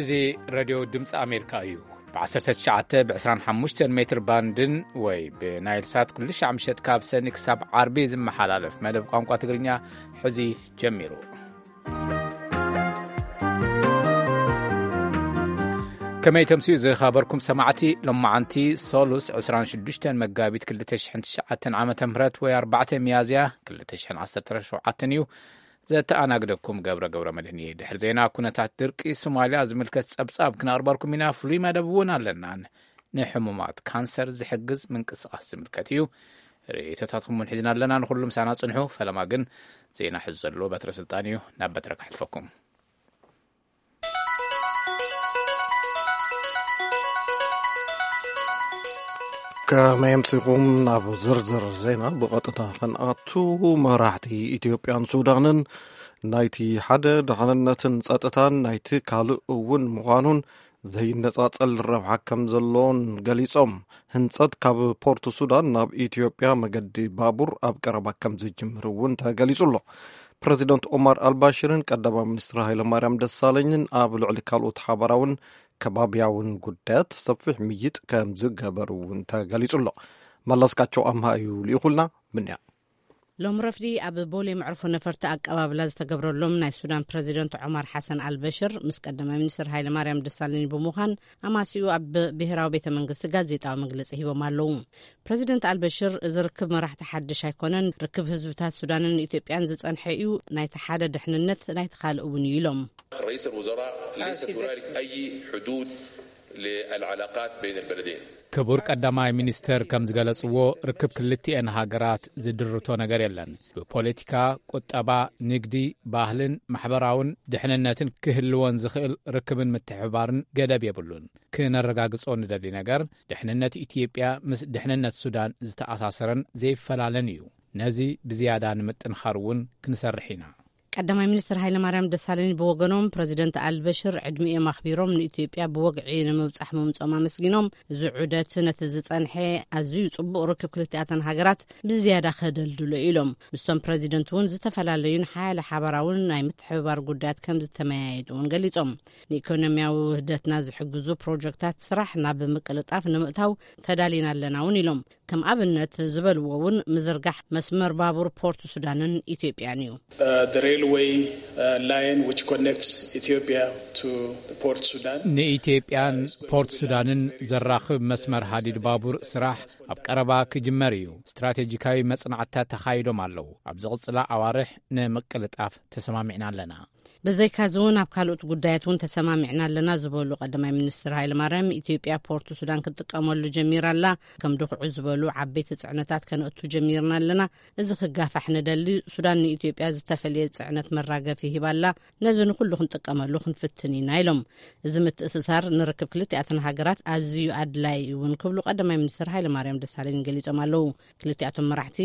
እዚ ሬድዮ ድምፂ ኣሜሪካ እዩ። ብ19፣ ብ25 ሜትር ባንድን ወይ ብናይል ሳት ኩሉ ሻዕ ምሸት ካብ ሰኒ ክሳብ ዓርቢ ዝመሓላለፍ መደብ ቋንቋ ትግርኛ ሕዚ ጀሚሩ። ከመይ ተምስዩ ዝኸበርኩም ሰማዕቲ፣ ሎማዓንቲ ሰሉስ 26 መጋቢት 2009 ዓመተ ምህረት ወይ 4 ሚያዝያ 2017 እዩ። ዘተኣናግደኩም ገብረ ገብረ መድህን እየ። ድሕሪ ዜና፣ ኩነታት ድርቂ ሶማልያ ዝምልከት ጸብጻብ ክነቕርበልኩም ኢና። ፍሉይ መደብ እውን ኣለና። ንሕሙማት ካንሰር ዝሕግዝ ምንቅስቃስ ዝምልከት እዩ። ርእይቶታትኩም እውን ሒዝና ኣለና። ንኹሉ ምሳና ጽንሑ። ፈለማ ግን ዜና ሕዚ ዘሎ በትረ ስልጣን እዩ። ናብ በትረ ከሕልፈኩም። ከመይ ኣምሲኹም? ናብ ዝርዝር ዜና ብቐጥታ ከንኣቱ፣ መራሕቲ ኢትዮጵያን ሱዳንን ናይቲ ሓደ ድሕንነትን ጸጥታን ናይቲ ካልእ እውን ምዃኑን ዘይነጻጸል ረብሓ ከም ዘለዎን ገሊጾም። ህንጸት ካብ ፖርት ሱዳን ናብ ኢትዮጵያ መገዲ ባቡር ኣብ ቀረባ ከም ዝጅምር እውን ተገሊጹ ኣሎ። ፕረዚደንት ኦማር ኣልባሽርን ቀዳማይ ሚኒስትር ሃይለማርያም ደሳለኝን ኣብ ልዕሊ ካልኦት ሓባራውን ከባብያውን ጉዳያት ሰፊሕ ምይጥ ከም ዝገበሩ እውን ተገሊጹ ኣሎ። መለስካቸው ኣምሃ እዩ ልኢኹልና። ምንያ ሎም ረፍዲ ኣብ ቦሌ መዕርፎ ነፈርቲ ኣቀባብላ ዝተገብረሎም ናይ ሱዳን ፕረዚደንት ዑማር ሓሰን ኣልበሽር ምስ ቀዳማይ ሚኒስትር ሃይለ ማርያም ደሳለኝ ብምዃን ኣማሲኡ ኣብ ብሔራዊ ቤተ መንግስቲ ጋዜጣዊ መግለጺ ሂቦም ኣለዉ። ፕረዚደንት ኣልበሽር፣ እዚ ርክብ መራሕቲ ሓድሽ ኣይኮነን፣ ርክብ ህዝብታት ሱዳንን ኢትዮጵያን ዝጸንሐ እዩ፣ ናይቲ ሓደ ድሕንነት ናይቲ ካልእ እውን እዩ ኢሎም። رئيس الوزراء ليست هنالك أي حدود للعلاقات بين البلدين. ክቡር ቀዳማይ ሚኒስትር ከም ዝገለጽዎ፣ ርክብ ክልቲኤን ሃገራት ዝድርቶ ነገር የለን። ብፖለቲካ፣ ቁጠባ፣ ንግዲ፣ ባህልን ማሕበራውን ድሕንነትን ክህልወን ዝኽእል ርክብን ምትሕብባርን ገደብ የብሉን። ክነረጋግጾ ንደሊ ነገር፣ ድሕንነት ኢትዮጵያ ምስ ድሕንነት ሱዳን ዝተኣሳሰረን ዘይፈላለን እዩ። ነዚ ብዝያዳ ንምጥንኻር እውን ክንሰርሕ ኢና። ቀዳማይ ሚኒስትር ሃይለማርያም ደሳለኝ ብወገኖም፣ ፕረዚደንት ኣልበሽር ዕድሚኦም ኣኽቢሮም ንኢትዮጵያ ብወግዒ ንምብጻሕ ምምጾም ኣመስጊኖም፣ እዚ ዑደት ነቲ ዝጸንሐ ኣዝዩ ጽቡቕ ርክብ ክልቲኣተን ሃገራት ብዝያዳ ከደልድሎ ኢሎም። ምስቶም ፕረዚደንት እውን ዝተፈላለዩን ሓያለ ሓባራውን ናይ ምትሕብባር ጉዳያት ከም ዝተመያየጡ እውን ገሊጾም። ንኢኮኖሚያዊ ውህደትና ዝሕግዙ ፕሮጀክታት ስራሕ ናብ ምቅልጣፍ ንምእታው ተዳሊና ኣለና እውን ኢሎም። ከም ኣብነት ዝበልዎ እውን ምዝርጋሕ መስመር ባቡር ፖርት ሱዳንን ኢትዮጵያን እዩ። Uh, the railway, uh, line which connects Ethiopia to Port Sudan. ንኢትዮጵያን ፖርት ሱዳንን ዘራኽብ መስመር ሃዲድ ባቡር ስራሕ ኣብ ቀረባ ክጅመር እዩ። ስትራቴጂካዊ መጽናዕትታት ተኻይዶም ኣለዉ። ኣብ ዝቕጽላ ኣዋርሕ ንምቅልጣፍ ተሰማሚዕና ኣለና። ብዘይካዚ እውን ኣብ ካልኦት ጉዳያት እውን ተሰማሚዕና ኣለና ዝበሉ ቀዳማይ ሚኒስትር ሃይለማርያም፣ ኢትዮጵያ ፖርት ሱዳን ክትጥቀመሉ ጀሚራ ኣላ። ከም ድኹዒ ዝበሉ ዓበይቲ ጽዕነታት ከነእቱ ጀሚርና ኣለና። እዚ ክጋፋሕ ንደሊ። ሱዳን ንኢትዮጵያ ዝተፈልየ ጽዕነት መራገፊ ሂባ ኣላ። ነዚ ንኹሉ ክንጥቀመሉ ክንፍትን ኢና ኢሎም። እዚ ምትእስሳር ንርክብ ክልቲኣተን ሃገራት ኣዝዩ ኣድላይ እውን ክብሉ ቀዳማይ ሚኒስትር ሃይለማርያም ደሳለኝ ገሊጾም ኣለዉ። ክልቲኣቶም መራሕቲ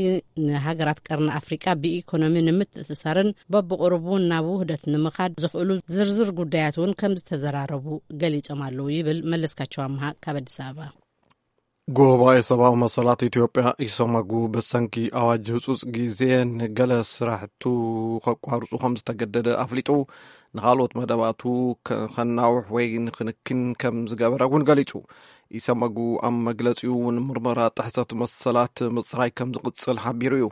ንሃገራት ቀርኒ ኣፍሪቃ ብኢኮኖሚ ንምትእስሳርን በብቕሩቡ ናብ ውህደት ንምኻድ ዘኽእሉ ዝርዝር ጉዳያት እውን ከም ዝተዘራረቡ ገሊጾም ኣለዉ ይብል መለስካቸው ኣምሃ ካብ ኣዲስ ኣበባ። ጉባኤ ሰብኣዊ መሰላት ኢትዮጵያ ኢሰመጉ ብሰንኪ ኣዋጅ ህጹጽ ግዜ ንገለ ስራሕቱ ከቋርጹ ከም ዝተገደደ ኣፍሊጡ፣ ንኻልኦት መደባቱ ከ-፣ ከናውሕ ወይ ንክንክን ከም ዝገበረ እውን ገሊጹ። ኢሰመጉ ኣብ መግለጺኡ እውን ምርመራ ጥሕሰት መሰላት ምጽራይ ከም ዝቕጽል ሓቢሩ እዩ።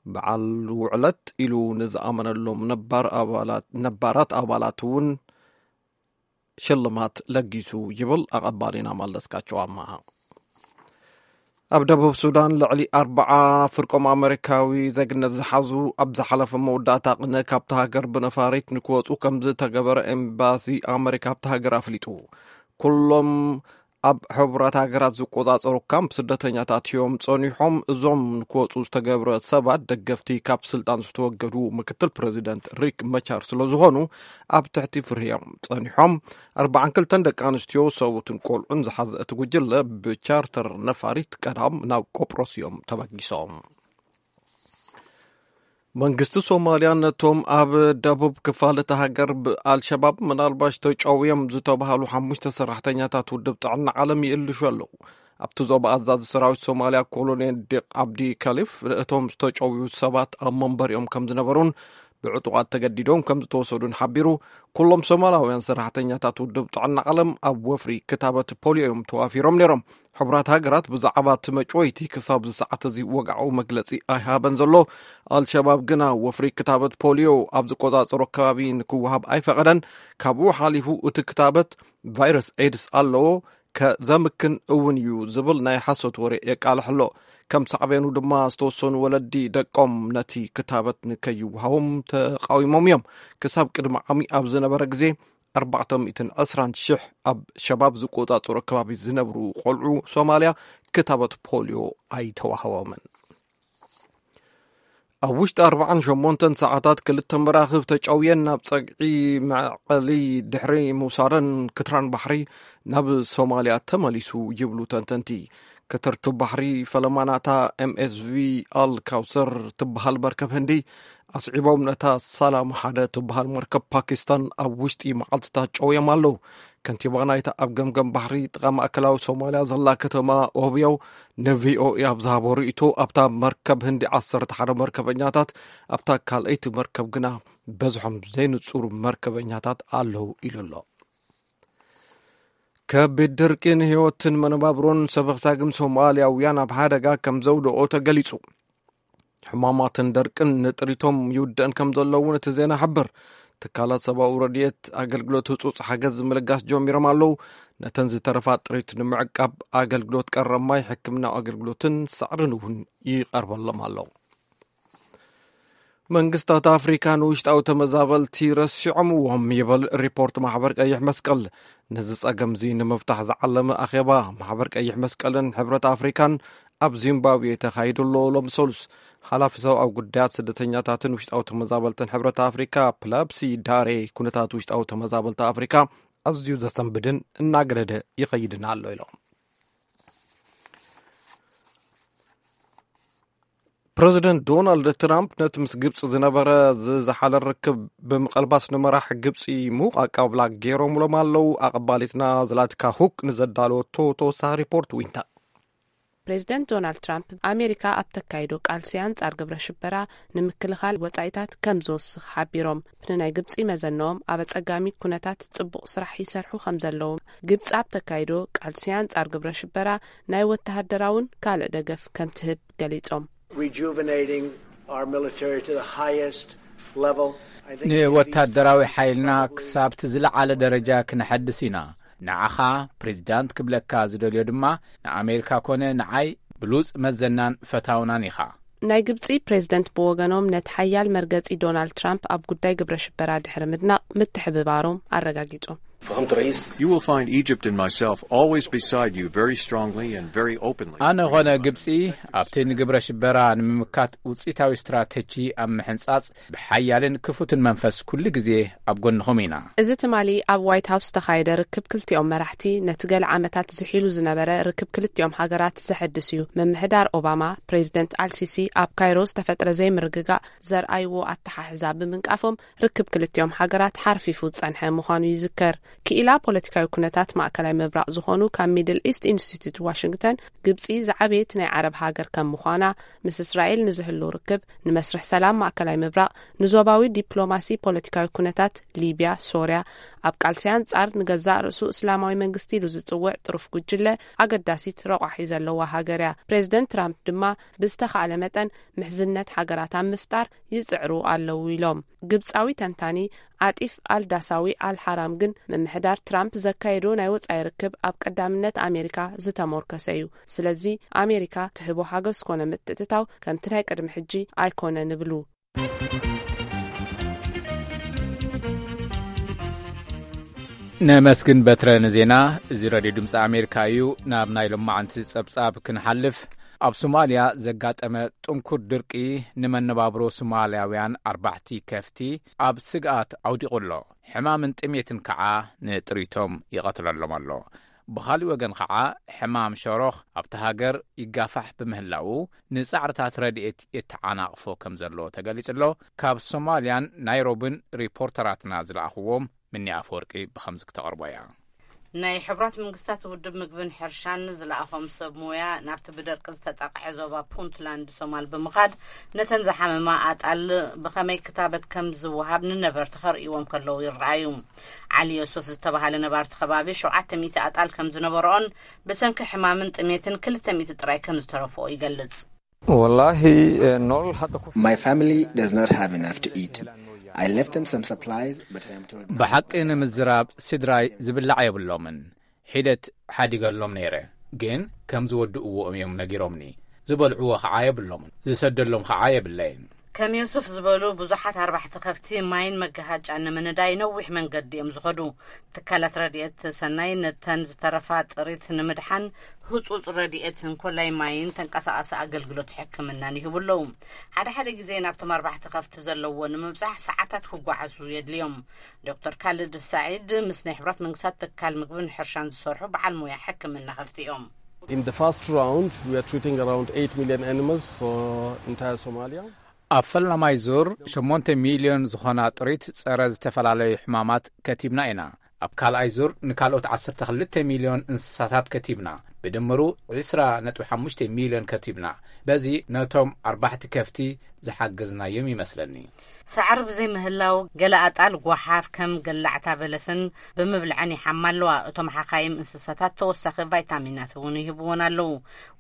በዓል ውዕለት ኢሉ ንዝኣመነሎም ነባር ኣባላት፣ ነባራት ኣባላት እውን ሽልማት ለጊሱ ይብል ኣቐባሊና መለስካቸው ኣማሃ። ኣብ ደቡብ ሱዳን ልዕሊ ኣርባዓ ፍርቆም ኣመሪካዊ ዜግነት ዝሓዙ ኣብ ዝሓለፈ መወዳእታ ቅነ ካብቲ ሃገር ብነፋሪት ንክወፁ ከም ዝተገበረ ኤምባሲ ኣመሪካ ኣብቲ ሃገር ኣፍሊጡ። ኩሎም ኣብ ሕቡራት ሃገራት ዝቆጻጸሩ ካምፕ ስደተኛታት እዮም ጸኒሖም። እዞም ንክወጹ ዝተገብረ ሰባት ደገፍቲ ካብ ስልጣን ዝተወገዱ ምክትል ፕረዚደንት ሪክ መቻር ስለ ዝኾኑ ኣብ ትሕቲ ፍርሂ እዮም ጸኒሖም። ኣርባዓን ክልተን ደቂ ኣንስትዮ፣ ሰብኡትን ቆልዑን ዝሓዘ እቲ ጉጅለ ብቻርተር ነፋሪት ቀዳም ናብ ቆጵሮስ እዮም ተበጊሶም። መንግስቲ ሶማልያ ነቶም ኣብ ደቡብ ክፋል እታ ሃገር ብኣልሸባብ ምናልባሽ ተጨውዮም ዝተባህሉ ሓሙሽተ ሰራሕተኛታት ውድብ ጥዕና ዓለም ይእልሹ ኣለዉ። ኣብቲ ዞባ ኣዛዚ ሰራዊት ሶማልያ ኮሎኔል ዲቅ ዓብዲ ከሊፍ፣ እቶም ዝተጨውዩ ሰባት ኣብ መንበሪኦም ከም ዝነበሩን ብዕጡቓት ተገዲዶም ከም ዝተወሰዱን ሓቢሩ። ኩሎም ሶማላውያን ሰራሕተኛታት ውድብ ጥዕና ዓለም ኣብ ወፍሪ ክታበት ፖሊዮ እዮም ተዋፊሮም ነይሮም። ሕቡራት ሃገራት ብዛዕባ እቲ መጭወይቲ ክሳብ ዝሰዓት እዚ ወግዓዊ መግለጺ ኣይሃበን ዘሎ። ኣልሸባብ ግና ወፍሪ ክታበት ፖሊዮ ኣብ ዝቆጻጸሮ ከባቢ ንክወሃብ ኣይፈቐደን። ካብኡ ሓሊፉ እቲ ክታበት ቫይረስ ኤድስ ኣለዎ፣ ከዘምክን እውን እዩ ዝብል ናይ ሓሶት ወሬ የቃልሕ ኣሎ። ከም ሳዕቤኑ ድማ ዝተወሰኑ ወለዲ ደቆም ነቲ ክታበት ንከይወሃቦም ተቃዊሞም እዮም። ክሳብ ቅድሚ ዓሚ ኣብ ዝነበረ ግዜ ኣርባዕተ ሚእትን ዕስራን ሽሕ ኣብ ሸባብ ዝቆጻጸሮ ከባቢ ዝነብሩ ቆልዑ ሶማልያ ክታበት ፖሊዮ ኣይተዋህቦምን። ኣብ ውሽጢ ኣርባዓን ሸሞንተን ሰዓታት ክልተ መራኽብ ተጨውየን ናብ ጸግዒ መዕቐሊ ድሕሪ ምውሳደን ክትራን ባሕሪ ናብ ሶማልያ ተመሊሱ ይብሉ ተንተንቲ። ክትርትብ ባሕሪ ፈለማ ናታ ኤምኤስቪ ኣል ካውሰር ትበሃል መርከብ ህንዲ ኣስዒቦም ነታ ሳላም ሓደ ትበሃል መርከብ ፓኪስታን ኣብ ውሽጢ መዓልትታት ጨውዮም ኣለዉ። ከንቲባ ናይታ ኣብ ገምገም ባሕሪ ጥቓ ማእከላዊ ሶማልያ ዘላ ከተማ ኦብዮ ንቪኦኤ ኣብ ዝሃቦ ርእይቶ ኣብታ መርከብ ህንዲ ዓሰርተ ሓደ መርከበኛታት ኣብታ ካልኣይቲ መርከብ ግና በዝሖም ዘይንጹሩ መርከበኛታት ኣለዉ ኢሉ ኣሎ። ከቢድ ድርቂ ንህይወትን መነባብሮን ሰበኽሳግን ሶማልያውያን ኣብ ሓደጋ ከም ዘውደኦ ተገሊጹ። ሕማማትን ደርቅን ንጥሪቶም ይውደን ከም ዘሎ እውን እቲ ዜና ይሕብር። ትካላት ሰብኣዊ ረድኤት ኣገልግሎት ህጹጽ ሓገዝ ምልጋስ ጀሚሮም ኣለዉ። ነተን ዝተረፋ ጥሪት ንምዕቃብ ኣገልግሎት ቀረብ ማይ፣ ሕክምናዊ ኣገልግሎትን ሳዕርን እውን ይቐርበሎም ኣሎ። መንግስታት ኣፍሪካ ንውሽጣዊ ተመዛበልቲ ረሲዖምዎም ይብል ሪፖርት ማሕበር ቀይሕ መስቀል። ነዚ ጸገምዚ ንምፍታሕ ዝዓለመ ኣኼባ ማሕበር ቀይሕ መስቀልን ሕብረት ኣፍሪካን ኣብ ዚምባብዌ ተኻይዱ ኣሎ። ሎም ሰሉስ ሓላፊ ሰብኣዊ ጉዳያት ስደተኛታትን ውሽጣዊ ተመዛበልትን ሕብረት ኣፍሪካ ፕላፕሲ ዳሬ ኩነታት ውሽጣዊ ተመዛበልቲ ኣፍሪካ ኣዝዩ ዘሰንብድን እናገደደ ይኸይድን ኣሎ ኢሎም። ፕረዚደንት ዶናልድ ትራምፕ ነቲ ምስ ግብፂ ዝነበረ ዝዘሓለ ርክብ ብምቐልባስ ንመራሕ ግብፂ ሙቕ ኣቀባብላ ገይሮምሎም ኣለዉ። ኣቐባሊትና ዝላትካ ሁክ ንዘዳለወቶ ተወሳኺ ሪፖርት ዊንታ። ፕሬዚደንት ዶናልድ ትራምፕ ኣሜሪካ ኣብ ተካይዶ ቃልሲ ኣንጻር ግብረ ሽበራ ንምክልኻል ወጻኢታት ከም ዝወስኽ ሓቢሮም። ንናይ ግብጺ መዘነኦም ኣብ ኣጸጋሚ ኩነታት ጽቡቕ ስራሕ ይሰርሑ ከም ዘለዉ፣ ግብጺ ኣብ ተካይዶ ቃልሲ ኣንጻር ግብረ ሽበራ ናይ ወተሃደራውን ካልእ ደገፍ ከም ትህብ ገሊጾም። Rejuvenating our military to the highest level. I think ንወታደራዊ ሓይልና ክሳብቲ ዝለዓለ ደረጃ ክነሐድስ ኢና። ንዓኻ ፕሬዚዳንት ክብለካ ዝደልዮ ድማ ንኣሜሪካ ኮነ ንዓይ ብሉጽ መዘናን ፈታውናን ኢኻ። ናይ ግብጺ ፕሬዝደንት ብወገኖም ነቲ ሓያል መርገጺ ዶናልድ ትራምፕ ኣብ ጉዳይ ግብረ ሽበራ ድሕሪ ምድናቕ ምትሕብባሮም ኣረጋጊጾም። You will find Egypt and myself always beside you very strongly and very openly. ኣነ ኾነ ግብጺ ኣብቲ ንግብረ ሽበራ ንምምካት ውጽኢታዊ ስትራተጂ ኣብ ምሕንጻጽ ብሓያልን ክፉትን መንፈስ ኩሉ ግዜ ኣብ ጎንኹም ኢና። እዚ ትማሊ ኣብ ዋይት ሃውስ ዝተኻየደ ርክብ ክልቲኦም መራሕቲ ነቲ ገለ ዓመታት ዝሒሉ ዝነበረ ርክብ ክልቲኦም ሃገራት ዘሐድስ እዩ። ምምሕዳር ኦባማ ፕሬዝደንት ኣልሲሲ ኣብ ካይሮ ዝተፈጥረ ዘይምርግጋእ ዘርኣይዎ ኣተሓሕዛ ብምንቃፎም ርክብ ክልቲኦም ሃገራት ሓርፊፉ ዝጸንሐ ምዃኑ ይዝከር። ክኢላ ፖለቲካዊ ኩነታት ማእከላይ ምብራቕ ዝኾኑ ካብ ሚድል ኢስት ኢንስቲትዩት ዋሽንግተን ግብጺ ዝዓበየት ናይ ዓረብ ሃገር ከም ምዃና ምስ እስራኤል ንዝህሉ ርክብ ንመስርሕ ሰላም ማእከላይ ምብራቕ ንዞባዊ ዲፕሎማሲ ፖለቲካዊ ኩነታት ሊብያ፣ ሶርያ፣ ኣብ ቃልሲ ኣንጻር ንገዛእ ርእሱ እስላማዊ መንግስቲ ኢሉ ዝጽውዕ ጥሩፍ ጉጅለ ኣገዳሲት ረቋሒ ዘለዋ ሃገር እያ። ፕሬዝደንት ትራምፕ ድማ ብዝተኻእለ መጠን ምሕዝነት ሃገራት ኣብ ምፍጣር ይጽዕሩ ኣለዉ ኢሎም። ግብጻዊ ተንታኒ ዓጢፍ ኣልዳሳዊ ኣልሓራም ግን ምምሕዳር ትራምፕ ዘካየዶ ናይ ወጻኢ ርክብ ኣብ ቀዳምነት ኣሜሪካ ዝተሞርከሰ እዩ። ስለዚ ኣሜሪካ ትህቦ ሓገዝ ኮነ ምትእትታው ከምቲ ናይ ቅድሚ ሕጂ ኣይኮነን ይብሉ። ነመስግን በትረ ንዜና። እዚ ረድዮ ድምፂ ኣሜሪካ እዩ። ናብ ናይ ሎማዓንቲ ጸብጻብ ክንሓልፍ፣ ኣብ ሶማልያ ዘጋጠመ ጥንኩር ድርቂ ንመነባብሮ ሶማልያውያን ኣርባሕቲ ከፍቲ ኣብ ስግኣት ኣውዲቑ ኣሎ። ሕማምን ጥሜትን ከዓ ንጥሪቶም ይቐትለሎም ኣሎ። ብኻሊእ ወገን ከዓ ሕማም ሸሮኽ ኣብቲ ሃገር ይጋፋሕ ብምህላዉ ንጻዕርታት ረድኤት የተዓናቕፎ ከም ዘሎ ተገሊጹ ኣሎ። ካብ ሶማልያን ናይሮብን ሪፖርተራትና ዝለኣኽዎም ምኒ ኣፈወርቂ ብኸምዚ ክተቕርቦ እያ። ናይ ሕቡራት መንግስታት ውድብ ምግብን ሕርሻን ዝለኣኾም ሰብ ሞያ ናብቲ ብደርቂ ዝተጠቕዐ ዞባ ፑንትላንድ ሶማል ብምኻድ፣ ነተን ዝሓመማ ኣጣል ብኸመይ ክታበት ከም ዝወሃብ ንነበርቲ ከርእይዎም ከለዉ ይረኣዩ። ዓሊ ዮሱፍ ዝተባሃለ ነባርቲ ከባቢ ሸውዓተ ሚእቲ ኣጣል ከም ዝነበረኦን ብሰንኪ ሕማምን ጥሜትን ክልተ ሚእቲ ጥራይ ከም ዝተረፍኦ ይገልጽ። والله nolol hadda ku My family does not have enough to eat. I left them some supplies, but I am told ብሓቂ ንምዝራብ ስድራይ ዝብላዕ የብሎምን። ሒደት ሓዲገሎም ነይረ፣ ግን ከም ዝወድእዎ እዮም ነጊሮምኒ። ዝበልዕዎ ኸዓ የብሎምን፣ ዝሰደሎም ኸዓ የብለይን። ከም ዮሱፍ ዝበሉ ብዙሓት ኣርባሕቲ ከፍቲ ማይን መገሃጫን ንምንዳይ ነዊሕ መንገዲ እዮም ዝኸዱ። ትካላት ረድኤት ሰናይ ነተን ዝተረፋ ጥሪት ንምድሓን ህጹጽ ረድኤት እንኮላይ ማይን ተንቀሳቓሲ ኣገልግሎት ሕክምናን ይህቡ ኣለዉ። ሓደ ሓደ ግዜ ናብቶም ኣርባሕቲ ከፍቲ ዘለዎ ንምብጻሕ ሰዓታት ክጓዓዙ የድልዮም። ዶክተር ካልድ ሳዒድ ምስ ናይ ሕብራት መንግስታት ትካል ምግብን ሕርሻን ዝሰርሑ በዓል ሞያ ሕክምና ከፍቲ እዮም። In the first round, we are treating around eight million animals for entire Somalia. ኣብ ፈላማይ ዙር ሸሞንተ ሚልዮን ዝኾና ጥሪት ጸረ ዝተፈላለዩ ሕማማት ከቲብና ኢና። ኣብ ካልኣይ ዙር ንካልኦት ዓሰርተ ክልተ ሚልዮን እንስሳታት ከቲብና። ብድምሩ ዕስራ ነጥቢ ሓሙሽተ ሚልዮን ከቲብና። በዚ ነቶም ኣርባሕቲ ከፍቲ ዝሓገዝናዮም ይመስለኒ። ሳዕሪ ብዘይ ምህላው ገለ ኣጣል ጓሓፍ ከም ገላዕታ በለሰን ብምብልዐን ይሓማ ኣለዋ። እቶም ሓኻይም እንስሳታት ተወሳኺ ቫይታሚናት እውን ይህብዎን ኣለዉ።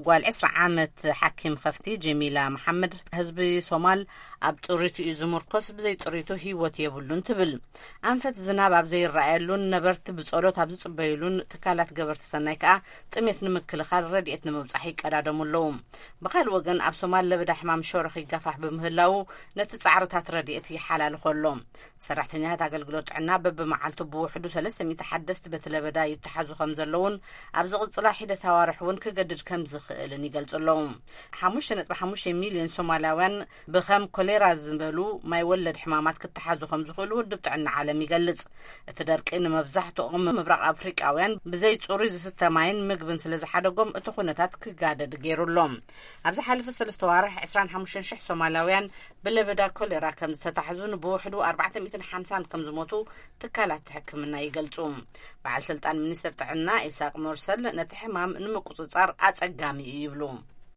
ጓል ዕስራ ዓመት ሓኪም ከፍቲ ጀሚላ መሓመድ፣ ህዝቢ ሶማል ኣብ ጥሪቱ እዩ ዝምርኮስ፣ ብዘይ ጥሪቱ ህይወት የብሉን ትብል። ኣንፈት ዝናብ ኣብ ዘይረኣየሉን ነበርቲ ብጸሎት ኣብ ዝጽበዩሉን ትካላት ገበርቲ ሰናይ ከኣ ጥሜት ንምክልኻል ረድኤት ንምብጻሕ ይቀዳደሙ ኣለዉ። ብኻልእ ወገን ኣብ ሶማል ለበዳ ሕማም ሸሮኽ ይጋፋሕ ብምህላዉ ነቲ ጻዕርታት ረድኤት ይሓላልኾ ኣሎ። ሰራሕተኛታት ኣገልግሎት ጥዕና በብመዓልቱ ብውሕዱ ሰለስተ ሚእቲ ሓደስቲ በቲ ለበዳ ይተሓዙ ከም ዘለዉን ኣብ ዝቕጽላ ሒደት ኣዋርሕ እውን ክገድድ ከም ዝኽእልን ይገልጹ ኣለዉ። ሓሙሽተ ነጥቢ ሓሙሽተ ሚልዮን ሶማላውያን ብኸም ኮሌራ ዝበሉ ማይ ወለድ ሕማማት ክተሓዙ ከም ዝኽእሉ ውድብ ጥዕና ዓለም ይገልጽ። እቲ ደርቂ ንመብዛሕትኦም ምብራቕ ኣፍሪቃውያን ብዘይ ጽሩይ ዝስተ ማይን ምግብን ስለ ዝሓደጎም እቲ ኩነታት ክጋደድ ገይሩ ኣሎ። ኣብ ዝሓለፈ ሰለስተ ዋርሕ ዕስራን ሓሙሽተን ሽሕ ሶማላውያን ብለበዳ ኮሌራ ከም ዝተታሕዙን ብውሕዱ ኣርባዕተ ሚእትን ሓምሳን ከም ዝሞቱ ትካላት ሕክምና ይገልጹ። በዓል ስልጣን ሚኒስትር ጥዕና ኢሳቅ ሞርሰል ነቲ ሕማም ንምቁጽጻር ኣጸጋሚ እዩ ይብሉ።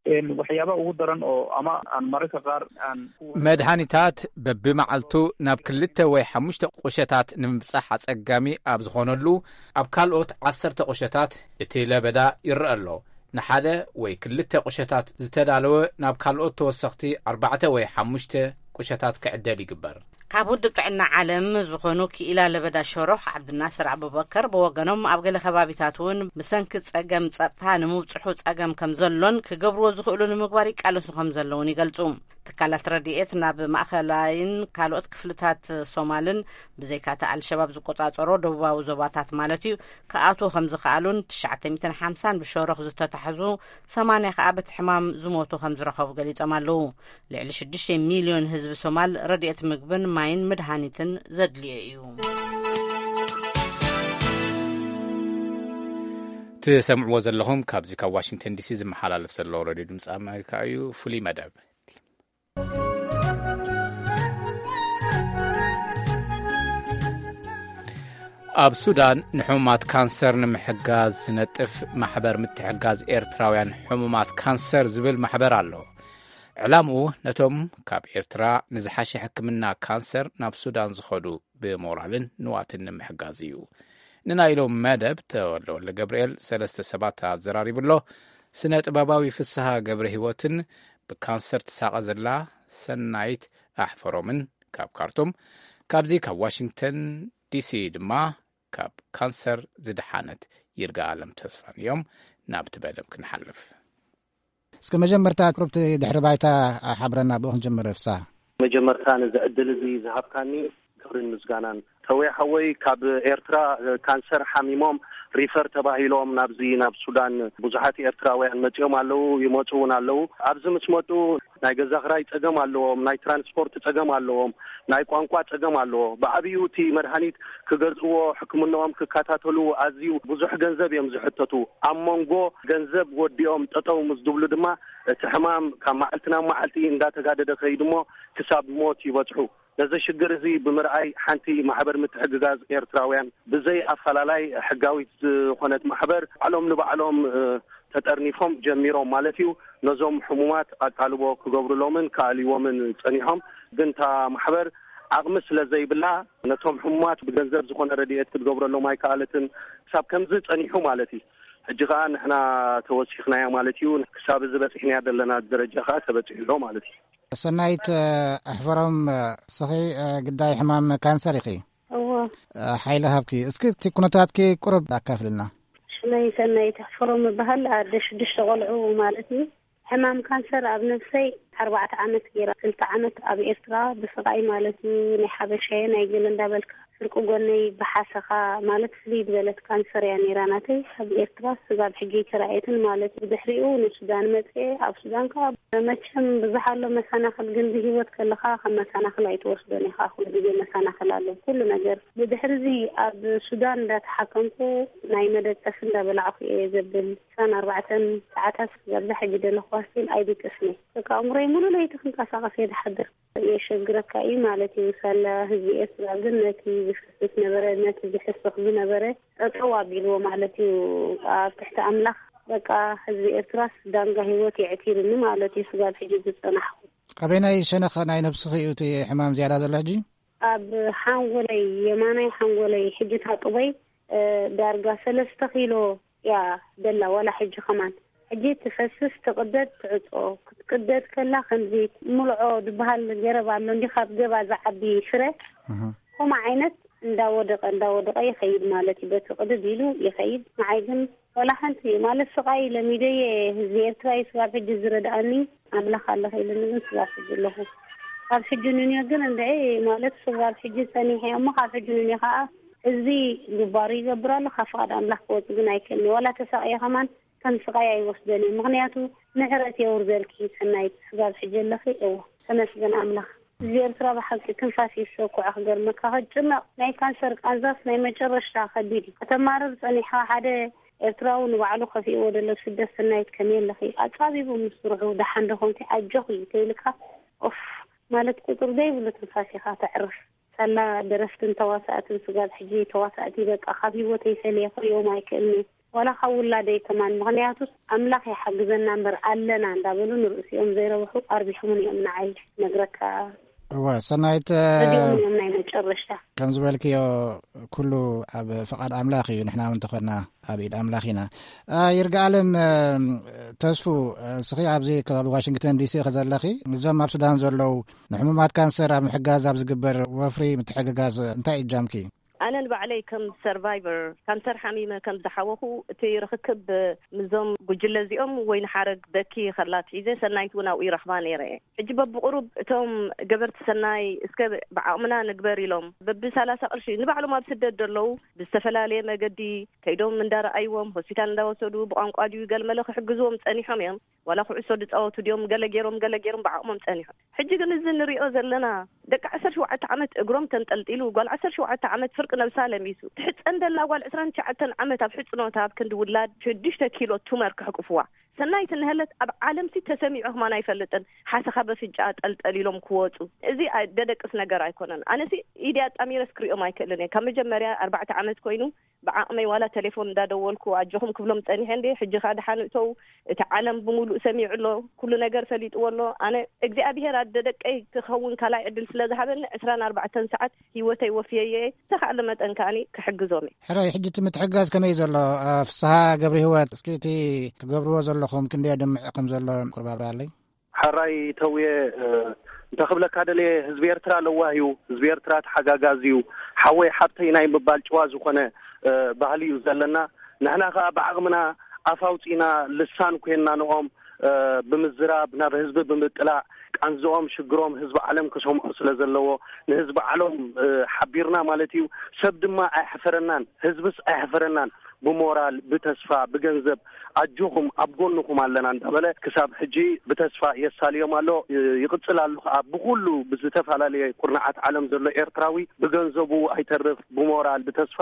Een, waxyaabaha ugu daran oo ama aan mararka qaar aan ku መድሃኒታት በብመዓልቱ ናብ ክልተ ወይ ሓሙሽተ ቁሸታት ንምብጻሕ ኣጸጋሚ ኣብ ዝኾነሉ፣ ኣብ ካልኦት ዓሰርተ ቁሸታት እቲ ለበዳ ይረአ ኣሎ። ንሓደ ወይ ክልተ ቁሸታት ዝተዳለወ ናብ ካልኦት ተወሰኽቲ ኣርባዕተ ወይ ሓሙሽተ ቁሸታት ክዕደል ይግበር። ካብ ውድብ ጥዕና ዓለም ዝኾኑ ክኢላ ለበዳ ሸሮኽ ዓብድናስር ኣቡበከር ብወገኖም፣ ኣብ ገለ ከባቢታት እውን ብሰንኪ ጸገም ጸጥታ ንምብጽሑ ጸገም ከም ዘሎን ክገብርዎ ዝኽእሉ ንምግባር ይቃለሱ ከም ዘለውን ይገልጹ። ትካላት ረድኤት ናብ ማእኸላይን ካልኦት ክፍልታት ሶማልን ብዘይካቲ ኣልሸባብ ዝቆጻጸሮ ደቡባዊ ዞባታት ማለት እዩ ክኣትዉ ከም ዝኸኣሉን ትሽዓተ ሚእትን ሓምሳን ብሸሮኽ ዝተታሕዙ ሰማንያ ከኣ በቲ ሕማም ዝሞቱ ከም ዝረኸቡ ገሊጾም ኣለዉ። ልዕሊ ሽዱሽተ ሚልዮን ህዝቢ ሶማል ረድኤት ምግብን ማይን መድሃኒትን ዘድልዮ እዩ። ትሰምዕዎ ዘለኹም ካብዚ ካብ ዋሽንግተን ዲሲ ዝመሓላለፍ ዘሎ ሬድዮ ድምፂ ኣሜሪካ እዩ። ፍሉይ መደብ ኣብ ሱዳን ንሕሙማት ካንሰር ንምሕጋዝ ዝነጥፍ ማሕበር ምትሕጋዝ ኤርትራውያን ሕሙማት ካንሰር ዝብል ማሕበር ኣሎ። ዕላምኡ ነቶም ካብ ኤርትራ ንዝሓሸ ሕክምና ካንሰር ናብ ሱዳን ዝኸዱ ብሞራልን ንዋትን ንምሕጋዝ እዩ። ንናይ ሎም መደብ ተወልደ ወልደ ገብርኤል ሰለስተ ሰባት ኣዘራሪቡ ኣሎ። ስነ ጥበባዊ ፍስሃ ገብረ ህይወትን ብካንሰር ትሳቐ ዘላ ሰናይት ኣሕፈሮምን ካብ ካርቱም፣ ካብዚ ካብ ዋሽንግተን ዲሲ ድማ ካብ ካንሰር ዝደሓነት ይርጋ ኣለም ተስፋን እዮም። ናብቲ መደብ ክንሓልፍ። እስከ መጀመርታ ቅሩብቲ ድሕሪ ባይታ ሓብረና ብኡ ክንጀምር ፍሳ። መጀመርታ ነዚ ዕድል እዚ ዝሃብካኒ ክብርን ምስጋናን። ተወይ ሓወይ ካብ ኤርትራ ካንሰር ሓሚሞም ሪፈር ተባሂሎም ናብዚ ናብ ሱዳን ብዙሓት ኤርትራውያን መጺኦም ኣለዉ፣ ይመጹ እውን ኣለዉ። ኣብዚ ምስ መጡ ናይ ገዛ ክራይ ጸገም ኣለዎም፣ ናይ ትራንስፖርት ጸገም ኣለዎም፣ ናይ ቋንቋ ጸገም ኣለዎ። ብዓብዩ እቲ መድሃኒት ክገዝእዎ፣ ሕክምናኦም ክከታተሉ ኣዝዩ ብዙሕ ገንዘብ እዮም ዝሕተቱ። ኣብ መንጎ ገንዘብ ወዲኦም ጠጠው ምስ ዝብሉ ድማ እቲ ሕማም ካብ መዓልቲ ናብ መዓልቲ እንዳተጋደደ ከይዱ እሞ ክሳብ ሞት ይበጽሑ። ነዚ ሽግር እዚ ብምርኣይ፣ ሓንቲ ማሕበር ምትሕግጋዝ ኤርትራውያን ብዘይ ኣፈላላይ ሕጋዊት ዝኾነት ማሕበር፣ ባዕሎም ንባዕሎም ተጠርኒፎም ጀሚሮም ማለት እዩ፣ ነዞም ሕሙማት ኣቃልቦ ክገብሩሎምን ክኣልይዎምን ጸኒሖም። ግን እታ ማሕበር ዓቕሚ ስለ ዘይብላ፣ ነቶም ሕሙማት ብገንዘብ ዝኾነ ረድኤት ክትገብረሎም ኣይከኣለትን። ክሳብ ከምዚ ጸኒሑ ማለት እዩ። ሕጂ ከኣ ንሕና ተወሲኽናያ ማለት እዩ። ክሳብ እዚ በጺሕናያ ዘለና ደረጃ ከኣ ተበጺሑ ኣሎ ማለት እዩ። ሰናይት ኣሕፈሮም፣ ስኺ ግዳይ ሕማም ካንሰር ኢኺ። እዎ። ሓይሊ ሃብኪ፣ እስኪ እቲ ኩነታትኪ ቁሩብ ኣካፍልና። ሽመይ ሰናይት ኣሕፈሮም እበሃል። ኣደ ሽዱሽተ ቆልዑ ማለት እዩ። ሕማም ካንሰር ኣብ ነፍሰይ ኣርባዕተ ዓመት ገይራ፣ ክልተ ዓመት ኣብ ኤርትራ ብስቓይ ማለት እዩ፣ ናይ ሓበሻየ ናይ ገለ እንዳበልካ፣ ፍርቂ ጎነይ ብሓሰኻ ማለት ፍልይ ዝበለት ካንሰር እያ ነይራ ናተይ። ኣብ ኤርትራ ስጋብ ሕጂ ኣይተራእየትን ማለት እዩ። ብድሕሪኡ ንሱዳን መጽኤ፣ ኣብ ሱዳን ከኣ መቸም ብዙሕ ኣሎ መሰናኽል፣ ግን ብህይወት ከለኻ ከም መሰናኽል ኣይትወስዶን ኢኻ። ኩሉ ግዜ መሰናኽል ኣሎ ኩሉ ነገር። ብድሕሪ እዚ ኣብ ሱዳን እንዳተሓከምኩ ናይ መደቀሲ እንዳበላዕኩ እየ ዘብል። ዕስራን ኣርባዕተን ሰዓታት ዛብዛ ሕጂ ዘለኹዋ ስቲል ኣይድቅስን እየ። በቃ ኣእምሮይ ሙሉ ለይቲ ክንቀሳቐስ እየ ዝሓድር። የሸግረካ እዩ ማለት እዩ። ሳላ ህዝቢ ኤርትራ ግን ነቲ ዝፍስስ ነበረ፣ ነቲ ዝሕስኽ ዝነበረ ጠጠው ኣቢልዎ ማለት እዩ። ኣብ ትሕቲ ኣምላኽ በቃ ህዝቢ ኤርትራስ ዳንጋ ህይወት የዕቲርኒ ማለት እዩ። ስጋብ ሕጂ ዝጸናሕኩ። ኣበየናይ ሸነኽ ናይ ነብስኺ እዩ እቲ ሕማም ዝያዳ ዘሎ ሕጂ? ኣብ ሓንጎለይ፣ የማናይ ሓንጎለይ፣ ሕጂ ታጡበይ እ፣ ዳርጋ ሰለስተ ኪሎ እያ ደላ፣ ዋላ ሕጂ ከማን። ሕጂ ትፈስስ፣ ትቕደድ፣ ትዕጾ። ክትቅደድ ከላ ከምዚ ሙልዖ ዝበሃል ገረብ ኣሎ እንዲ ካብ ገባ ዝዓቢ ፍረ፣ እህ። ከምኡ ዓይነት እንዳወደቐ፣ እንዳወደቐ ይኸይድ ማለት እዩ። በቲ ቅድድ ኢሉ ይኸይድ። ንዓይ ግን ዋላ ሓንቲ ማለት ስቓይ ለሚደየ ህዝቢ ኤርትራ እዩ ስጋብ ሕጂ ዝረድኣኒ። ኣምላኽ ኣለኸ ኢሉኒ ግን ስጋብ ሕጂ ኣለኹ። ካብ ሕጂ ንንዮ ግን እንድዒ ማለት ስጋብ ሕጂ ጸኒሐ እሞ ካብ ሕጂ ንንዮ ከኣ ህዝቢ ግባሩ ይገብር ኣሎ። ካብ ፍቓድ ኣምላኽ ክወጽእ ግን ኣይክእልን። ዋላ ተሳቕየ ከማን ከም ስቓይ ኣይወስደን እየ። ምኽንያቱ ምሕረት የውርደልኪ ሰናይት፣ ስጋብ ሕጂ ኣለኺ። እወ፣ ተመስገን ኣምላኽ። ህዝቢ ኤርትራ ብሓቂ ትንፋስ ይሰኩዖ። ክገርመካ፣ ክጭነቕ፣ ናይ ካንሰር ቃንዛስ ናይ መጨረሽታ ከቢድ እዩ። ከተማርር ጸኒሕካ፣ ሓደ ኤርትራዊ ንባዕሉ ከፊእዎ ደሎ ስደት። ሰናይት፣ ከመይ ኣለኺ? ኣጻቢቡ ምስ ስርሑ፣ ደሓን ዶ ኾንኪ? ኣጆኺ ተይልካ፣ ኦፍ ማለት ቁጽሪ ዘይብሉ ትንፋስ ኢኻ ተዕርፍ። ሳላ ደረፍትን ተዋሳእትን ስጋብ ሕጂ ተዋሳእቲ በቃ ካብ ህይወተይ ፈለየ ክሪኦም ኣይክእልኒ። ዋላ ካብ ውላደይ ከማን፣ ምኽንያቱስ ኣምላኽ ይሓግዘና እምበር ኣለና እንዳበሉ ንርእሲኦም ዘይረብሑ ኣርቢሖምን እዮም ንዓይ ነግረካ። እወ፣ ሰናይት፣ ረዲኦም እዮም ናይ መጨረሽታ። ከም ዝበልክዮ ኩሉ ኣብ ፍቓድ ኣምላኽ እዩ። ንሕና እውን እንተኾንና ኣብ ኢድ ኣምላኽ ኢና። አ፣ ይርጋኣለም፣ እ፣ ተስፉ፣ እ፣ እስኺ ኣብዚ ከባቢ ዋሽንግተን ዲሲ ኢኺ ዘለኺ። እዞም ኣብ ሱዳን ዘለዉ ንሕሙማት ካንሰር ኣብ ምሕጋዝ ኣብ ዝግበር ወፍሪ ምትሕግጋዝ እንታይ እጃምኪ? ኣነ ንባዕለይ ከም ሰርቫይቨር ካንሰር ሓሚመ ከም ዝሓወኹ፣ እቲ ርኽክብ ምስዞም ጉጅለ እዚኦም ወይ ንሓረግ በኪ ከላ ኣትሒዘ፣ ሰናይት እውን ኣብኡ ይረኽባ ነይረ እየ። ሕጂ በብቑሩብ እቶም ገበርቲ ሰናይ እስከ ብዓቕምና ንግበር ኢሎም በቢ ሰላሳ ቅርሺ ንባዕሎም ኣብ ስደት ዘለዉ ብዝተፈላለየ መገዲ ከይዶም እንዳረኣይዎም፣ ሆስፒታል እንዳወሰዱ፣ ብቋንቋ ድዩ ገለመለ ክሕግዝዎም ጸኒሖም እዮም። ዋላ ኩዕሶ ዝጻወቱ ድዮም፣ ገለ ገይሮም፣ ገለ ገይሮም ብዓቕሞም ጸኒሖም። ሕጂ ግን እዚ ንሪኦ ዘለና ደቂ ዓሰርተ ሸውዓተ ዓመት እግሮም ተንጠልጢሉ፣ ጓል ዓሰርተ ሸውዓተ ዓመት ፍርቂ ነብሳ ለሚሱ፣ ትሕጸን ደላ ጓል ዕስራን ትሽዓተን ዓመት ኣብ ሕጽኖታ ኣብ ክንዲ ውላድ ሽዱሽተ ኪሎ ቱመር ክሕቁፍዋ። ሰናይት እንሀለት ኣብ ዓለምሲ ተሰሚዑ ከማን ኣይፈልጥን። ሓሰኻ በፍንጫ ጠልጠል ኢሎም ክወጹ። እዚ ኣይ-፣ ደደቅስ ነገር ኣይኮነን። ኣነሲ ኢዲ ኣጣሚረስ ክሪኦም ኣይክእልን እየ። ካብ መጀመርያ ኣርባዕተ ዓመት ኮይኑ ብዓቕመይ ዋላ ቴሌፎን እንዳደወልኩ ኣጆኹም ክብሎም ጸኒሐ እንዴ። ሕጂ ኸኣ ደሓን እተው፣ እቲ ዓለም ብምሉእ ሰሚዑ ኣሎ፣ ኩሉ ነገር ፈሊጥዎ ኣሎ። ኣነ እግዚኣብሄር ኣደ ደቀይ ክኸውን ካልኣይ ዕድል ስለ ዝሃበኒ ዕስራን ኣርባዕተን ሰዓት ህይወተይ ወፍየየ። ዝተኻእለ መጠን ከኣኒ ክሕግዞም እየ። ሕራይ፣ ሕጂ እቲ ምትሕጋዝ ከመይ ዘሎ? አ፣ ፍስሃ ገብረ ህይወት፣ እስኪ እቲ ትገብርዎ ዘለኹም ክንደይ ኣድማዒ ከም ዘሎ ቁሩብ ኣብርሃለይ። ሕራይ ተውየ፣ እ፣ እንታይ ክብለካ ደልየ፣ ህዝቢ ኤርትራ ለዋህ እዩ፣ ህዝቢ ኤርትራ ተሓጋጋዚ እዩ፣ ሓወይ ሓብተይ ናይ ምባል ጭዋ ዝኾነ፣ እ፣ ባህሊ እዩ ዘለና። ንሕና ከኣ ብዓቕምና ኣፍ ኣውጺእና ልሳን ኮይንና ንኦም፣ እ፣ ብምዝራብ፣ ናብ ህዝቢ ብምጥላዕ፣ ቃንዝኦም ሽግሮም ህዝቢ ዓለም ክሰምዖ ስለ ዘለዎ፣ ንህዝቢ ዓለም፣ እ፣ ሓቢርና ማለት እዩ። ሰብ ድማ ኣይሕፈረናን፣ ህዝብስ ኣይሕፈረናን። ብሞራል፣ ብተስፋ፣ ብገንዘብ ኣጆኹም ኣብ ጎንኹም ኣለና እንዳበለ ክሳብ ሕጂ ብተስፋ የሳልዮም ኣሎ። ይ-፣ ይቕጽል ኣሎ ከኣ ብኹሉ ብዝተፈላለየ ኩርናዓት ዓለም ዘሎ ኤርትራዊ ብገንዘቡ ኣይተርፍ፣ ብሞራል፣ ብተስፋ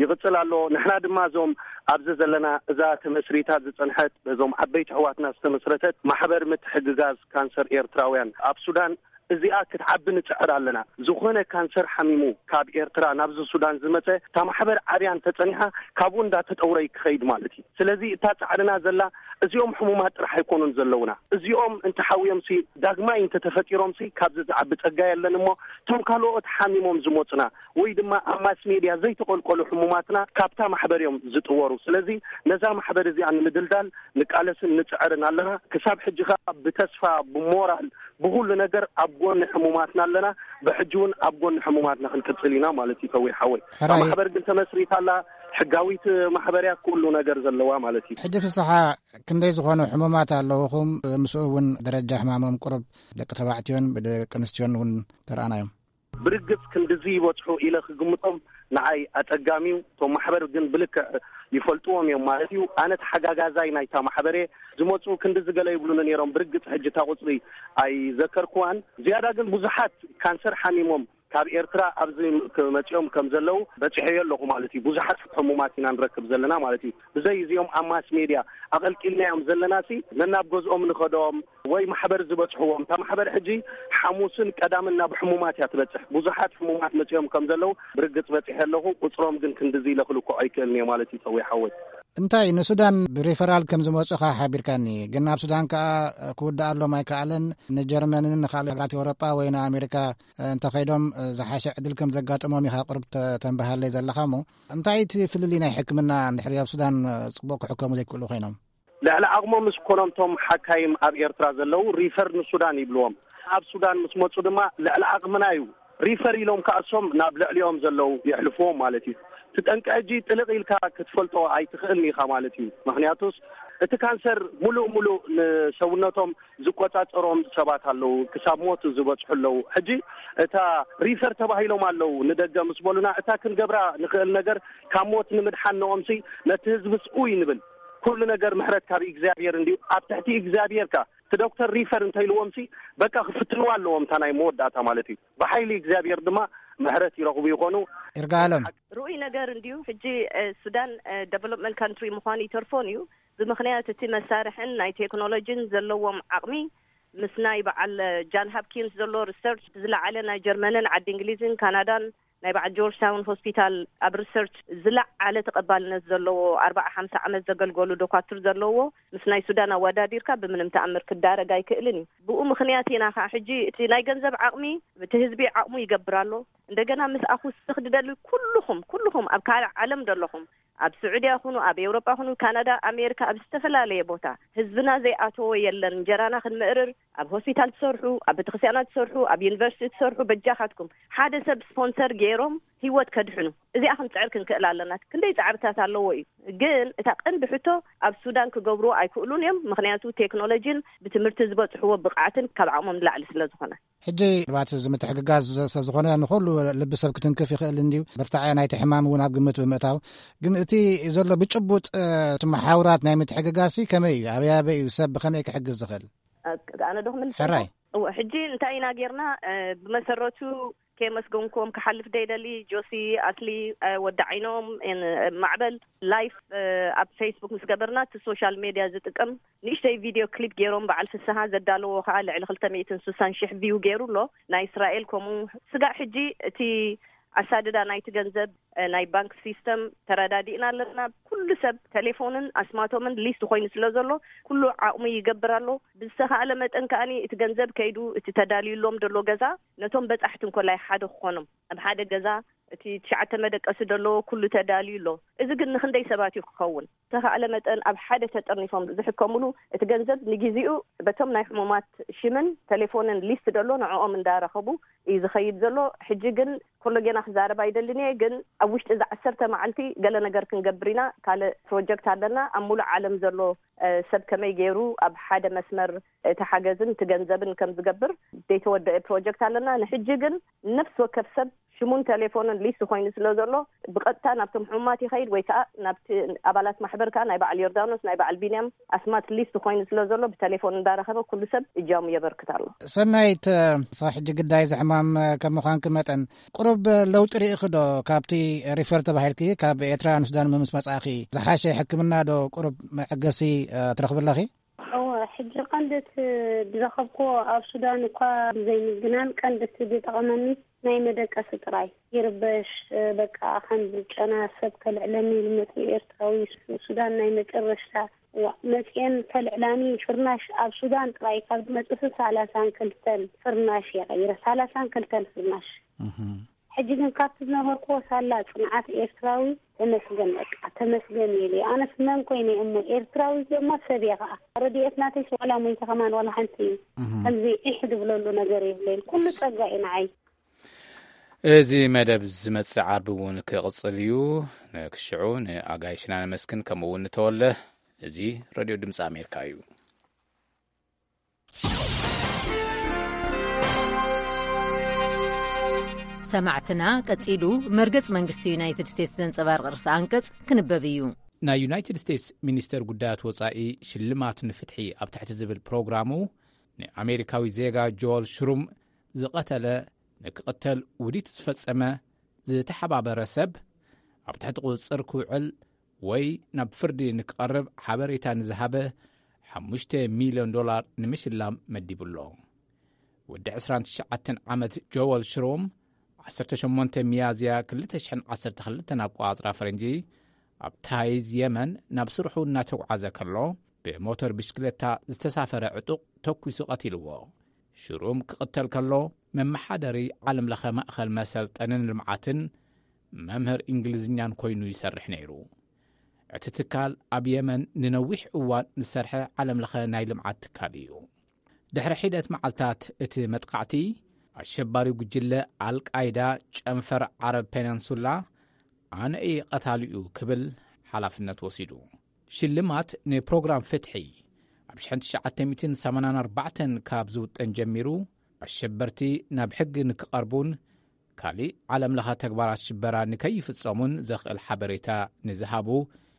ይቕጽል ኣሎ። ንሕና ድማ እዞም ኣብዚ ዘለና እዛ ተመስሪታ ዝጸንሐት በዞም ዓበይቲ ኣሕዋትና ዝተመስረተት ማሕበር ምትሕግጋዝ ካንሰር ኤርትራውያን ኣብ ሱዳን እዚኣ ክትዓቢ ንጽዕር ኣለና። ዝኾነ ካንሰር ሓሚሙ ካብ ኤርትራ ናብዚ ሱዳን ዝመጸ፣ እታ ማሕበር ዓብያ እንተጸኒሓ፣ ካብኡ እንዳተጠውረ ክኸይድ ማለት እዩ። ስለዚ እታ ጻዕርና ዘላ፣ እዚኦም ሕሙማት ጥራሕ ኣይኮኑን ዘለውና። እዚኦም እንተሓውዮምሲ፣ ዳግማይ እንተተፈጢሮምሲ፣ ካብዚ ዝዓቢ ጸጋ የለን እሞ፣ እቶም ካልኦት ሓሚሞም ዝመጹና ወይ ድማ ኣብ ማስ ሜድያ ዘይተቆልቆሉ ሕሙማትና ካብታ ማሕበር እዮም ዝጥወሩ። ስለዚ ነዛ ማሕበር እዚኣ ንምድልዳል ንቃለስን ንጽዕርን ኣለና። ክሳብ ሕጂ ከኣ ብተስፋ፣ ብሞራል፣ ብኹሉ ነገር ኣብ ጎኒ ሕሙማትና ኣለና። ብሕጂ እውን ኣብ ጎኒ ሕሙማትና ክንቅጽል ኢና ማለት እዩ። ተወይ ሓወይ፣ እታ ሕራይ። ማሕበር ግን ተመስሪታ ኣላ። ሕጋዊት ማሕበር እያ፣ ኩሉ ነገር ዘለዋ ማለት እዩ። ሕጂ ፍስሓ፣ ክንደይ ዝኾኑ ሕሙማት ኣለውኹም? ምስኡ እውን ደረጃ ሕማሞም ቁሩብ ደቂ ተባዕትዮን ብደቂ ኣንስትዮን እውን ተረኣናዮም። ብርግጽ ክንድዚ ይበጽሑ ኢለ ክግምጦም ንዓይ ኣጸጋሚ እዩ። እቶም ማሕበር ግን ብልክዕ ይፈልጥዎም እዮም ማለት እዩ። ኣነ ተሓጋጋዛይ ናይታ ማሕበር እየ። ዝመጹ ክንድዚ ገለ ይብሉኒ ነይሮም። ብርግጽ ሕጂ እታ ቁጽሪ ኣይዘከርኩዋን። ዝያዳ ግን ብዙሓት ካንሰር ሓሚሞም ካብ ኤርትራ ኣብዚ ክመጽኦም ከም ዘለዉ በጺሐዮ ኣለኹ ማለት እዩ። ብዙሓት ሕሙማት ኢና ንረክብ ዘለና ማለት እዩ። ብዘይ እዚኦም ኣብ ማስ ሜድያ ኣቐልቂልናዮም ዘለናሲ፣ ነናብ ገዝኦም ንኸዶም ወይ ማሕበር ዝበጽሕዎም። እታ ማሕበር ሕጂ ሓሙስን ቀዳምን ናብ ሕሙማት እያ ትበጽሕ። ብዙሓት ሕሙማት መጺኦም ከም ዘለዉ ብርግጽ በጺሐ ኣለኹ። ቁጽሮም ግን ክንድዚ ኢለ ክልክዖ ኣይክእልን እየ ማለት እዩ፣ ተወይ ሓወይ። እንታይ ንሱዳን ብሪፈራል ከም ዝመጹኻ ሓቢርካኒ፣ ግን ኣብ ሱዳን ከኣ ክውድኣሎም ኣይከኣለን። ንጀርመንን ንኻልእ ሃገራት ኤውሮጳ ወይ ንኣሜሪካ እንተኸይዶም ዝሓሸ ዕድል ከም ዘጋጥሞም ኢኻ ቁሩብ ተ-፣ ተንብሃለይ ዘለኻ እሞ፣ እንታይ እቲ ፍልልይ ናይ ሕክምና እንድሕሪ ኣብ ሱዳን ጽቡቕ ክሕከሙ ዘይክእሉ ኮይኖም? ልዕሊ ዓቕሞም ምስ ኮኖም እቶም ሓካይም ኣብ ኤርትራ ዘለዉ ሪፈር ንሱዳን ይብልዎም። ኣብ ሱዳን ምስ መጹ ድማ ልዕሊ ዓቕምና እዩ ሪፈር ኢሎም ከኣሶም ናብ ልዕሊኦም ዘለዉ የሕልፍዎም ማለት እዩ። እቲ ጠንቂ ሕጂ ጥልቕ ኢልካ ክትፈልጦ ኣይትኽእልን ኢኻ ማለት እዩ። ምኽንያቱስ እቲ ካንሰር ሙሉእ ሙሉእ ንሰውነቶም ዝቆጻጸሮም ሰባት ኣለዉ፣ ክሳብ ሞት ዝበጽሑ ኣለዉ። ሕጂ እታ ሪፈር ተባሂሎም ኣለዉ ንደገ ምስ በሉና፣ እታ ክንገብራ ንኽእል ነገር ካብ ሞት ንምድሓን ንኦምሲ ነቲ ህዝብስ ኡይ ንብል። ኩሉ ነገር ምሕረት ካብ እግዚኣብሔር እንድዩ። ኣብ ትሕቲ እግዚኣብሔር ከ እቲ ዶክተር ሪፈር እንተኢልዎምሲ በቃ ክፍትንዋ ኣለዎም፣ እታ ናይ መወዳእታ ማለት እዩ። ብሓይሊ እግዚኣብሔር ድማ ምሕረት ይረኽቡ ይኾኑ። ይርጋለም። ርኡይ ነገር እንድዩ። ሕጂ፣ እ፣ ሱዳን፣ እ፣ ደቨሎፕመንት ካንትሪ ምዃኑ ይተርፎን እዩ። ብምኽንያት እቲ መሳርሕን ናይ ቴክኖሎጂን ዘለዎም ዓቕሚ ምስ ናይ በዓል፣ እ፣ ጃን ሃፕኪንስ ዘሎ ሪሰርች ዝለዓለ ናይ ጀርመንን ዓዲ እንግሊዝን ካናዳን ናይ በዓል ጆርጅ ታውን ሆስፒታል ኣብ ሪሰርች ዝለዓለ ተቐባልነት ዘለዎ ኣርባዓ ሓምሳ ዓመት ዘገልገሉ ዶኳትር ዘለዎ ምስ ናይ ሱዳን ኣወዳዲርካ ብምንም ተኣምር ክዳረግ ኣይክእልን እዩ። ብኡ ምኽንያት ኢና ኸዓ ሕጂ እቲ ናይ ገንዘብ ዓቕሚ እቲ ህዝቢ ዓቕሙ ይገብር ኣሎ። እንደገና ምስኣኹ ስኽድደሉ ኩልኹም፣ ኩልኹም ኣብ ካልእ ዓለም ዘለኹም ኣብ ስዑድያ ይኹኑ፣ ኣብ ኤውሮጳ ይኹኑ፣ ካናዳ፣ ኣሜሪካ፣ ኣብ ዝተፈላለየ ቦታ ህዝብና ዘይኣተዎ የለን። እንጀራና ክንምእርር፣ ኣብ ሆስፒታል ትሰርሑ፣ ኣብ ቤተክርስትያናት ትሰርሑ፣ ኣብ ዩኒቨርሲቲ ትሰርሑ፣ በጃኻትኩም ሓደ ሰብ ስፖንሰር ገይሮም ህይወት ከድሕኑ፣ እዚኣ ክንጽዕር ክንክእል ኣለና። ክንደይ ጻዕርታት ኣለዎ እዩ፣ ግን እታ ቀንዲ ሕቶ ኣብ ሱዳን ክገብርዎ ኣይክእሉን እዮም። ምኽንያቱ ቴክኖሎጂን ብትምህርቲ ዝበጽሕዎ ብቕዓትን ካብ ዓቕሞም ንላዕሊ ስለ ዝኾነ። ሕጂ ምናልባት እዚ ምትሕግጋዝ ስለ ዝኾነ ንኹሉ ልቢ ሰብ ክትንክፍ ይኽእል እንድዩ። ብርታዐ ናይቲ ሕማም እውን ኣብ ግምት ብምእታው፣ ግን እቲ ዘሎ ብጭቡጥ፣ እ፣ እቲ መሓውራት ናይ ምትሕግጋዝሲ ከመይ እዩ? ኣበይ ኣበይ እዩ ሰብ ብኸመይ ክሕግዝ ዝኽእል? እ፣ ኣነ ዶ ክምልስ ሕራይ። ኣለዎ? እወ፣ ሕጂ እንታይ ኢና ጌርና? እ፣ ብመሰረቱ ከየመስገንኩም ክሓልፍ ደይደሊ፣ ጆሲ፣ ኣስሊ፣ እ፣ ወዲ ዓይኖም፣ እ፣ ማዕበል፣ ላይፍ፣ እ፣ ኣብ ፌስቡክ ምስ ገበርና፣ እቲ ሶሻል ሜድያ ዝጥቀም ንእሽተይ ቪድዮ ክሊፕ ገይሮም፣ በዓል ፍስሃ ዘዳለዎ ከኣ ልዕሊ ክልተ ሚእትን ስሳን ሽሕ ቪው ገይሩ ኣሎ። ናይ እስራኤል ከምኡ። ስጋዕ ሕጂ እቲ ኣሳድዳ ናይቲ ገንዘብ፣ እ፣ ናይ ባንክ ሲስተም ተረዳዲእና ኣለና። ኩሉ ሰብ ቴሌፎንን ኣስማቶምን ሊስት ኮይኑ ስለ ዘሎ፣ ኩሉ ዓቕሙ ይገብር ኣሎ። ብዝተኻእለ መጠን ከኣኒ እቲ ገንዘብ ከይዱ፣ እቲ ተዳልዩሎም ዘሎ ገዛ፣ ነቶም በጻሕቲ እንኮላይ ሓደ ክኾኖም፣ ኣብ ሓደ ገዛ እቲ ትሽዓተ መደቀሲ ዘለዎ ኩሉ ተዳልዩ ኣሎ። እዚ ግን ንኽንደይ ሰባት እዩ ክኸውን? ዝተኻእለ መጠን ኣብ ሓደ ተጠርኒፎም ዝሕከሙሉ፣ እቲ ገንዘብ ንግዜኡ በቶም ናይ ሕሙማት ሽምን ቴሌፎንን ሊስት ደሎ ንዕኦም እንዳረኸቡ እዩ ዝኸይድ ዘሎ። ሕጂ ግን ኮሎ ጌና ክዛረብ ኣይደልን እየ፣ ግን ኣብ ውሽጢ እዚ ዓሰርተ መዓልቲ ገለ ነገር ክንገብር ኢና። ካልእ ፕሮጀክት ኣለና። ኣብ ሙሉእ ዓለም ዘሎ፣ እ፣ ሰብ ከመይ ገይሩ ኣብ ሓደ መስመር እቲ ሓገዝን እቲ ገንዘብን ከም ዝገብር ዘይተወደአ ፕሮጀክት ኣለና። ንሕጂ ግን ነፍሲ ወከፍ ሰብ ሽሙን ቴሌፎንን ሊስት ኮይኑ ስለ ዘሎ፣ ብቐጥታ ናብቶም ሕሙማት ይኸይድ ወይ ከኣ ናብቲ ኣባላት ማሕበር ከኣ ናይ በዓል ዮርዳኖስ፣ ናይ በዓል ቢንያም ኣስማት ሊስት ኮይኑ ስለ ዘሎ፣ ብቴሌፎን እንዳረኸበ ኩሉ ሰብ እጃሙ የበርክት ኣሎ። ሰናይት፣ ንስኻ ሕጂ ግዳይ እዚ ሕማም ከም ምዃንኪ መጠን፣ ቁሩብ ለውጢ ርኢኺ ዶ ካብቲ ሪፈር ተባሂልኪ ካብ ኤርትራ ንሱዳን ምስ መጻእኺ? ዝሓሸ ሕክምና ዶ ቁሩብ መዐገሲ፣ እ፣ ትረኽቢ ኣለኺ? እወ፣ ሕጂ ቀንዲ እቲ ዝረኸብኩዎ ኣብ ሱዳን እኳ ብዘይምዝግናን ቀንዲ እቲ ዝጠቐመኒ ናይ መደቀሲ ጥራይ። ይርበሽ፣ በቃ ከም ጨና ሰብ ከልዕለኒ ኢሉ መጺኡ ኤርትራዊ። ሱዳን ናይ መጨረሽታ፣ ዋ፣ መጺኤን ከልዕላኒ ፍርናሽ ኣብ ሱዳን ጥራይ ካብ ዝመጽእ ሰላሳን ክልተን ፍርናሽ እየ ቀይረ። ሰላሳን ክልተን ፍርናሽ። ሕጂ ግን ካብቲ ዝነበርኩዎ ሳላ ጽንዓት ኤርትራዊ ተመስገን፣ በቃ ተመስገን ኢለ። ኣነስ መን ኮይነ እሞ ኤርትራዊ እሞ ሰብ እየ ከኣ። ረድኤት ናተይ ዋላ ሞይተ ከማን ዋላ ሓንቲ እዩ። ከምዚ ኢሕ ድብለሉ ነገር የብለይን። ኩሉ ጸጋ እዩ ንዓይ። እዚ መደብ ዝመጽእ ዓርቢ እውን ክቕጽል እዩ። ንክሽዑ ንኣጋይሽና ነመስግን፣ ከምኡ እውን ንተወለ። እዚ ሬድዮ ድምፂ ኣሜሪካ እዩ። ሰማዕትና፣ ቀጺሉ መርገጽ መንግስቲ ዩናይትድ ስቴትስ ዘንጸባርቕ ርእሰ ኣንቀጽ ክንበብ እዩ። ናይ ዩናይትድ ስቴትስ ሚኒስተር ጉዳያት ወጻኢ ሽልማት ንፍትሒ ኣብ ትሕቲ ዝብል ፕሮግራሙ፣ ንኣሜሪካዊ ዜጋ ጆል ሽሩም ዝቐተለ፣ ንክቕተል ውዲት ዝፈጸመ፣ ዝተሓባበረ ሰብ ኣብ ትሕቲ ቁጽጽር ክውዕል ወይ ናብ ፍርዲ ንክቐርብ ሓበሬታ ንዝሃበ ሓሙሽተ ሚልዮን ዶላር ንምሽላም መዲቡ ኣሎ። ወዲ ዕስራን ትሽዓተን ዓመት ጆወል ሽሮም፣ ዓሰርተ ሸሞንተ ሚያዝያ ክልተ ሽሕን ዓሰርተ ክልተን ኣቆጻጽራ ፈረንጂ፣ ኣብ ታይዝ የመን ናብ ስርሑ እናተጓዓዘ ከሎ፣ ብሞተር ብሽክለታ ዝተሳፈረ ዕጡቕ ተኲሱ ቀቲልዎ። ሽሩም ክቕተል ከሎ፣ መመሓደሪ ዓለምለኸ ማእኸል መሰልጠንን ልምዓትን መምህር እንግሊዝኛን ኮይኑ ይሰርሕ ነይሩ። እቲ ትካል ኣብ የመን ንነዊሕ እዋን ዝሰርሐ ዓለምለኸ ናይ ልምዓት ትካል እዩ። ድሕሪ ሒደት መዓልታት እቲ መጥቃዕቲ፣ ኣሸባሪው ጉጅለ ኣልቃይዳ ጨንፈር ዓረብ ፔነንሱላ ኣነ እየ ቀታሊኡ ክብል ሓላፍነት ወሲዱ። ሽልማት ንፕሮግራም ፍትሒ ኣብ ሽሕን ትሽዓተ ሚእትን ሰማንያን ኣርባዕተን ካብ ዝውጠን ጀሚሩ፣ ኣሸበርቲ ናብ ሕጊ ንክቐርቡን ካሊእ ዓለምለኸ ተግባራት ሽበራ ንከይፍጸሙን ዘኽእል ሓበሬታ ንዝሃቡ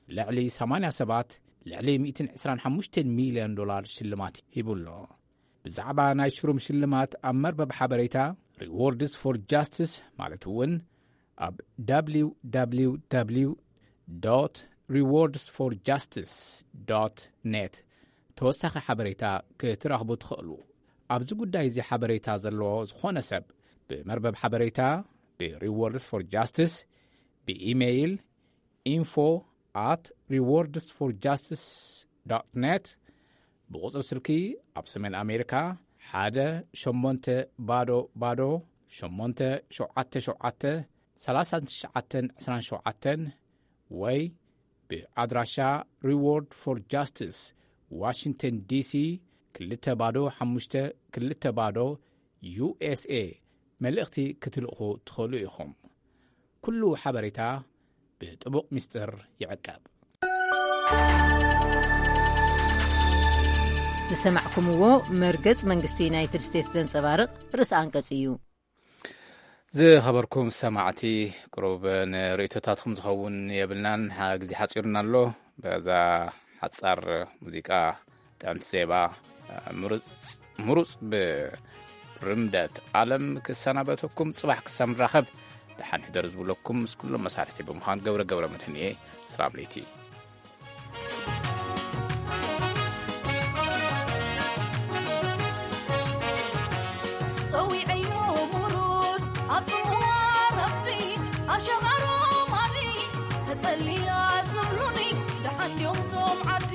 ልዕሊ ሰማንያ ሰባት ልዕሊ ሚእትን ዕስራን ሓሙሽተን ሚልዮን ዶላር ሽልማት ሂቡ ኣሎ። ብዛዕባ ናይ ሽሩም ሽልማት ኣብ መርበብ ሓበሬታ ሪዎርድስ ፎር ጃስቲስ፣ ማለት እውን ኣብ www rewards for justice net ተወሳኺ ሓበሬታ ክትረኽቡ ትኽእሉ። ኣብዚ ጉዳይ እዚ ሓበሬታ ዘለዎ ዝኾነ ሰብ ብመርበብ ሓበሬታ ብሪዎርድስ ፎር ጃስቲስ ብኢሜይል ኢንፎ ኣት ሪዎርድስ ፎር ጃስቲስ ዶት ኔት፣ ብቑጽሪ ስልኪ ኣብ ሰሜን ኣሜሪካ ሓደ ሸሞንተ ባዶ ባዶ ሸሞንተ ሸውዓተ ሸውዓተ ሰላሳን ትሽዓተን ዕስራን ሸውዓተን ወይ ብኣድራሻ ሪዎርድ ፎር ጃስቲስ ዋሽንግተን ዲሲ ክልተ ባዶ ሓሙሽተ ክልተ ባዶ ዩ ኤስ ኤ መልእኽቲ ክትልእኹ ትኽእሉ ኢኹም። ኩሉ ሓበሬታ ብጥቡቕ ሚስጥር ይዕቀብ። ዝሰማዕኩምዎ መርገጽ መንግስቲ ዩናይትድ ስቴትስ ዘንጸባርቕ ርእሰ ኣንቀጽ እዩ። ዝኸበርኩም ሰማዕቲ፣ ቅሩብ ንርእይቶታትኩም ዝኸውን የብልናን፣ ሓ-፣ ግዜ ሓጺሩና ኣሎ። በዛ ሓጻር ሙዚቃ፣ ጥዕምቲ ዜማ፣ ምሩጽ፣ ምሩጽ ብርምደት ኣለም ክሰናበተኩም፣ ጽባሕ ክሳብ ንራኸብ ደሓን ሕደሩ ዝብለኩም ምስ ኩሎም መሳርሕቲ ብምዃን ገብረ ገብረ መድህን እየ። ሰላም ለይቲ። ጸዊዐዮ ምሩጽ ኣብ ጽምዋ ረቢ ኣብ ሸኻሮ ማሊ ተጸሊላ ዝብሉኒ ደሓን ድዮም ዞም ዓዲ